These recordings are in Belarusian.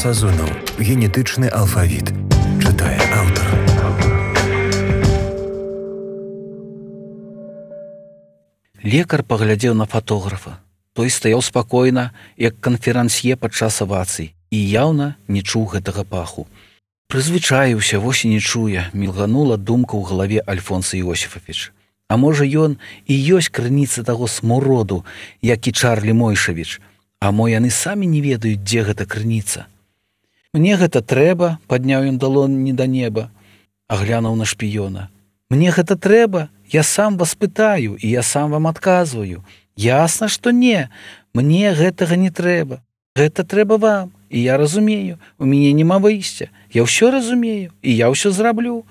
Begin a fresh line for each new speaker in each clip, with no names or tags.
Сазонаў. Генетычны алфавіт. Чытае аўтар.
Лекар паглядзеў на фатографа. Той стаяў спакойна, як канферансье падчас авацый, і яўна не чуў гэтага паху. Прызвычаіўся, вось і не чуе, мільганула думка ў галаве Альфонса Іосіфавіч. А можа, ён і ёсць крыніца таго смуроду, як і Чарлі Мойшавіч. А мо яны самі не ведаюць, дзе гэта крыніца. Мне гэта трэба, падняў ён далонні да неба, аглянуў на шпіёна. Мне гэта трэба, я сам вас пытаю, і я сам вам адказваю. Ясна, што не, мне гэтага не трэба. Гэта трэба вам, і я разумею, у мяне няма выйсця. Я ўсё разумею, і я ўсё зраблю.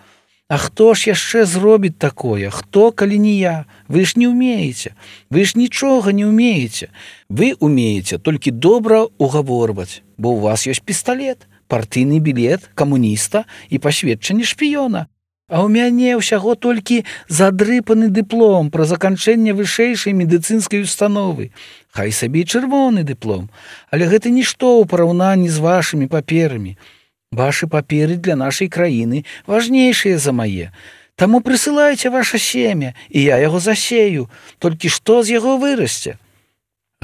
А хто ж яшчэ зробіць такое? Хто, калі не я? Вы ж не ўмееце. Вы ж нічога не ўмееце. Вы ўмееце толькі добра угаворваць, бо ў вас ёсць пісталет, партыйны білет камуніста і пасведчанне шпіёна. А ў мяне ўсяго толькі задрыпаны дыплом пра заканчэнне вышэйшай медыцынскай установы. Хай сабе і чырвоны дыплом, але гэта нішто ў параўнанні з вашымі паперамі. Вашы паперы для нашай краіны важнейшыя за мае. Таму прысылайце ваша семя, і я яго засею. Толькі што з яго вырасце?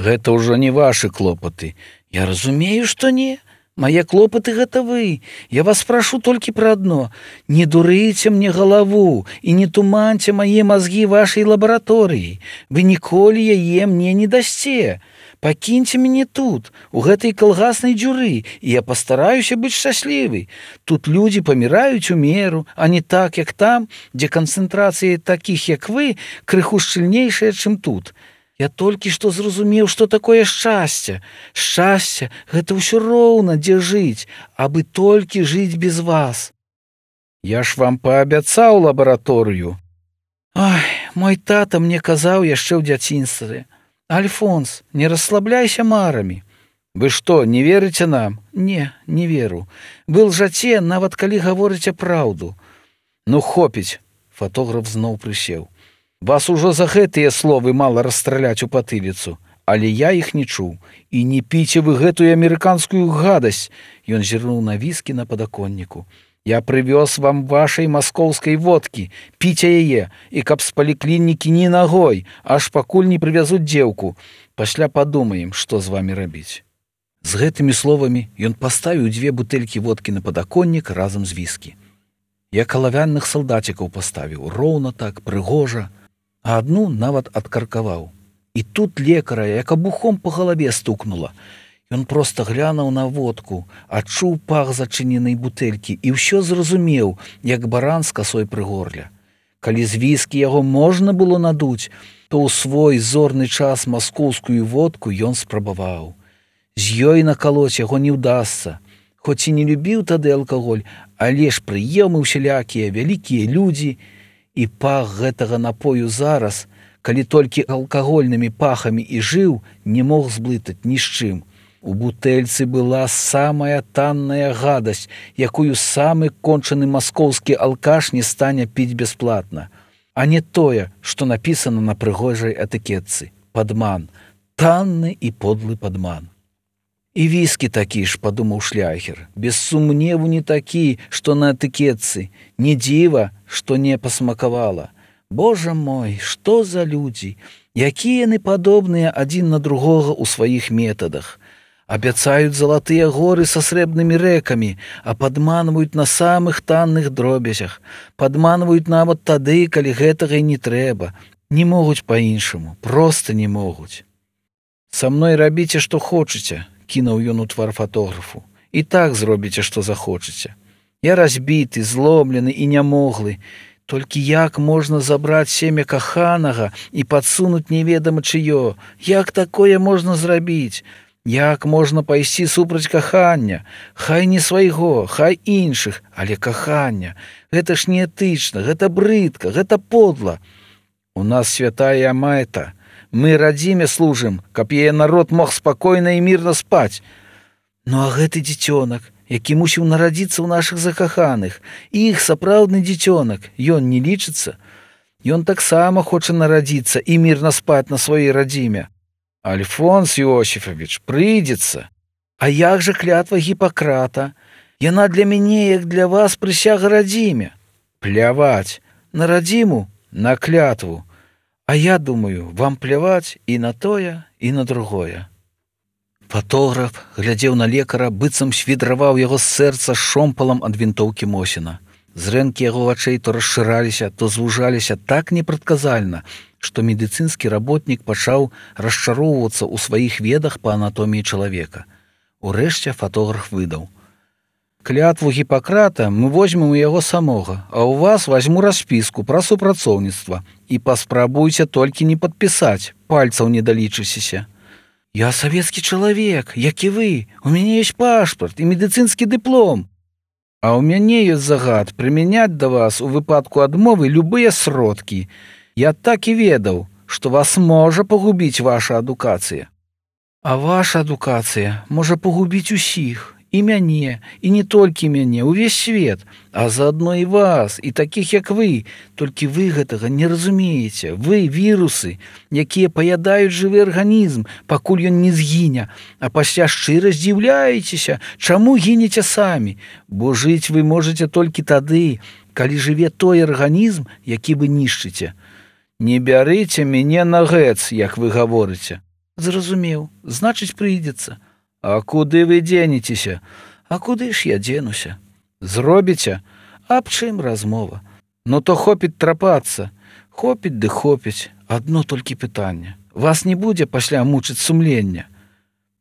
Гэта ўжо не вашы клопаты. Я разумею, што не. Мае клопаты гэта вы. Я вас прашу толькі пра адно. Не дурыце мне галаву і не туманьце мае мазгі вашай лабараторыі. Вы ніколі яе мне не дасце. Пакіньце мяне тут, у гэтай калгаснай дзюры, і я пастараюся быць шчаслівай. Тут людзі паміраюць у меру, а не так, як там, дзе канцэнтрацыя такіх, як вы, крыху шчыльнейшая, чым тут. Я толькі што зразумеў, што такое шчасце. Шчасце – гэта ўсё роўна, дзе жыць, абы толькі жыць без вас. Я ж вам паабяцаў лабараторыю. Ой, мой тата мне казаў яшчэ ў дзяцінстве. Альфонс, не расслабляйся марамі. Вы што, не верыце нам? Не, не веру. Вы лжаце, нават калі гаворыце праўду. Ну, хопіць, фатограф зноў прысеў. Вас ужо за гэтыя словы мала расстраляць у патыліцу, але я іх не чуў. І не піце вы гэтую амерыканскую гадасць. Ён зірнуў на віскі на падаконніку. Я прывёз вам вашай маскоўскай водкі, піце яе, і каб з паліклінікі ні нагой, аж пакуль не прывязуць дзеўку. Пасля падумаем, што з вамі рабіць. З гэтымі словамі ён паставіў 2 бутэлькі водкі на падаконнік разам з віскі. Я калавянных салдацікаў паставіў, роўна так, прыгожа, а адну нават адкаркаваў. І тут лекара, як абухом па галаве стукнула. Ён проста глянуў на водку, адчуў пах зачыненай бутэлькі і ўсё зразумеў, як баран з касой пры горле. Калі з віскі яго можна было надуць, то ў свой зорны час маскоўскую водку ён спрабаваў. З ёй накалоць яго не ўдасца. Хоць і не любіў тады алкаголь, але ж прыемы усялякія, вялікія людзі, і пах гэтага напою зараз, калі толькі алкагольнымі пахамі і жыў, не мог зблытаць ні з чым. У бутэльцы была самая танная гадасць, якую самы кончаны маскоўскі алкаш не стане піць бясплатна. А не тое, што напісана на прыгожай этыкетцы. Падман. Танны і подлы падман. І віскі такі ж, падумаў шляхер. Без сумневу не такі, што на этыкетцы. Не дзіва, што не пасмакавала. Божа мой, што за людзі? Якія яны падобныя адзін на другога ў сваіх метадах. Абяцаюць залатыя горы са срэбнымі рэкамі, а падманваюць на самых танных дробязях. Падманваюць нават тады, калі гэтага і не трэба. Не могуць па-іншаму, проста не могуць. Са мной рабіце, што хочаце, кінуў ён у твар фатографу. І так зробіце, што захочаце. Я разбіты, зломлены і нямоглы. Толькі як можна забраць семя каханага і падсунуць неведама чыё? Як такое можна зрабіць? Як можна пайсці супраць кахання? Хай не свайго, хай іншых, але кахання. Гэта ж неэтычна, гэта брыдка, гэта подла. У нас святая мэта. Мы радзіме служым, каб яе народ мог спакойна і мірна спаць. Ну а гэты дзіцёнак, які мусіў нарадзіцца ў нашых закаханых, іх сапраўдны дзіцёнак, ён не лічыцца. Ён таксама хоча нарадзіцца і мірна спаць на сваёй радзіме. Альфонс Іосіфавіч, прыйдзецца. А як жа клятва Гіппакрата? Яна для мяне, як для вас, прысяга радзіме. Пляваць на радзіму, на клятву. А я думаю, вам пляваць і на тое, і на другое. Фатограф глядзеў на лекара, быццам свідраваў яго з сэрца шомпалам ад вінтоўкі Мосіна. Зрэнкі яго вачэй то расшыраліся, то звужаліся так непрадказальна, што медыцынскі работнік пачаў расчароўвацца ў сваіх ведах па анатоміі чалавека. Урэшце фатограф выдаў: клятву Гіппакрата мы возьмем у яго самога, а ў вас возьму распіску пра супрацоўніцтва і паспрабуйце толькі не падпісаць, пальцаў не далічыцеся. Я савецкі чалавек, як і вы, у мяне ёсць пашпарт і медыцынскі дыплом. А ў мяне ёсць загад прымяняць да вас у выпадку адмовы любыя сродкі. Я так і ведаў, што вас можа пагубіць ваша адукацыя. А ваша адукацыя можа пагубіць усіх, і мяне, і не толькі мяне, увесь свет, а заадно і вас, і такіх, як вы. Толькі вы гэтага не разумееце. Вы вірусы, якія паядаюць жывы арганізм, пакуль ён не згіне, а пасля шчыра здзіўляецеся, чаму гінеце самі, бо жыць вы можаце толькі тады, калі жыве той арганізм, які вы нішчыце. Не бярыце мяне на гэц, як вы гаворыце. Зразумеў, значыць, прыйдзецца. А куды вы дзенецеся? А куды ж я дзенуся? Зробіце? Аб чым размова? Ну то хопіць трапацца. Хопіць ды хопіць. Адно толькі пытанне. Вас не будзе пасля мучыць сумленне.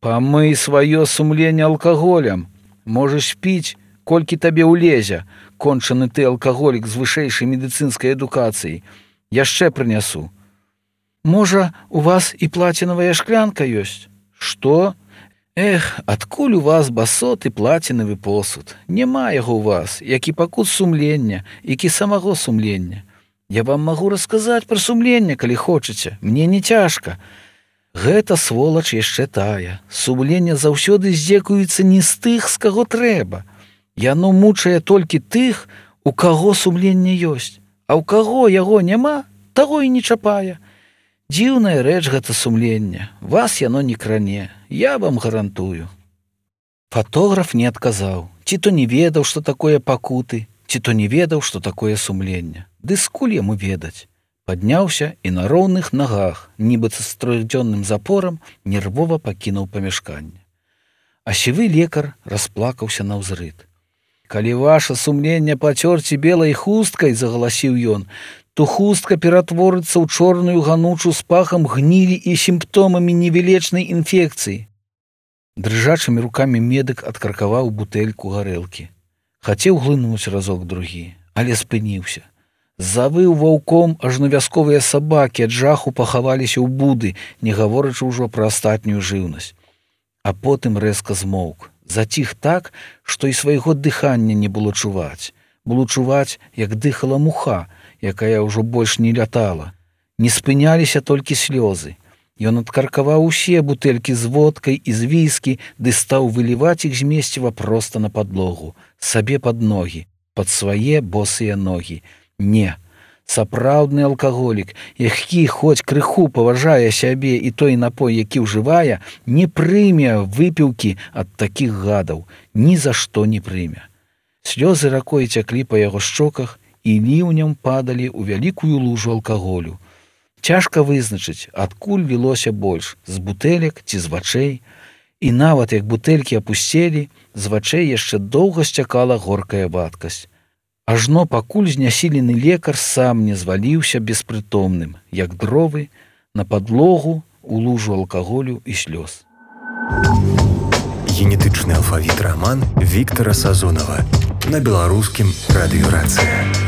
Памый сваё сумленне алкаголем. Можаш піць, колькі табе ўлезе, кончаны ты алкаголік з вышэйшай медыцынскай адукацыяй. Яшчэ прынясу. Можа, у вас і плацінавая шклянка ёсць? Што? Эх, адкуль у вас басот і плацінавы посуд? Няма яго ў вас, як і пакут сумлення, як і самого сумлення. Я вам магу расказаць пра сумленне, калі хочаце. Мне не цяжка. Гэта сволач яшчэ тая. Сумленне заўсёды здзекуецца не з тых, з каго трэба. Яно мучае толькі тых, у каго сумленне ёсць. А ў каго яго няма, таго і не чапае. Дзіўная рэч гэта сумленне. Вас яно не кране. Я вам гарантую. Фатограф не адказаў. Ці то не ведаў, што такое пакуты, ці то не ведаў, што такое сумленне. Ды скуль яму ведаць? Падняўся і на роўных нагах, нібыта з трохдзённым запорам, нервова пакінуў памяшканне. А сівы лекар расплакаўся наўзрыд. Калі ваша сумленне пацёрці белай хусткай, загаласіў ён, то хустка ператворыцца ў чорную ганучу з пахам гнілі і сімптомамі невілечнай інфекцыі. Дрыжачымі рукамі медык адкаркаваў бутэльку гарэлкі. Хацеў глынуць разок другі, але спыніўся. Завыў ваўком, ажно вясковыя сабакі ад жаху пахаваліся ў буды, не гаворачы ўжо пра астатнюю жыўнасць. А потым рэзка змоўк. Заціх так, што і свайго дыхання не было чуваць. Было чуваць, як дыхала муха, якая ўжо больш не лятала. Не спыняліся толькі слёзы. Ён адкаркаваў усе бутэлькі з водкай і з віскі, ды стаў выліваць іх змесціва проста на падлогу, сабе пад ногі, пад свае босыя ногі. Не, сапраўдны алкаголік, які хоць крыху паважае сябе і той напой, які ўжывае, не прыме выпіўкі ад такіх гадаў, ні за што не прыме. Слёзы ракой цяклі па яго шчоках і ліўнем падалі ў вялікую лужу алкаголю. Цяжка вызначыць, адкуль лілося больш, з бутэлек ці з вачэй. І нават як бутэлькі апусцелі, з вачэй яшчэ доўга сцякала горкая вадкасць. Ажно пакуль знясілены лекар сам не зваліўся беспрытомным, як дровы, на падлогу у лужу алкаголю і слёз.
Генетычны алфавіт раман Віктара Сазонава на беларускім радыёрацыя.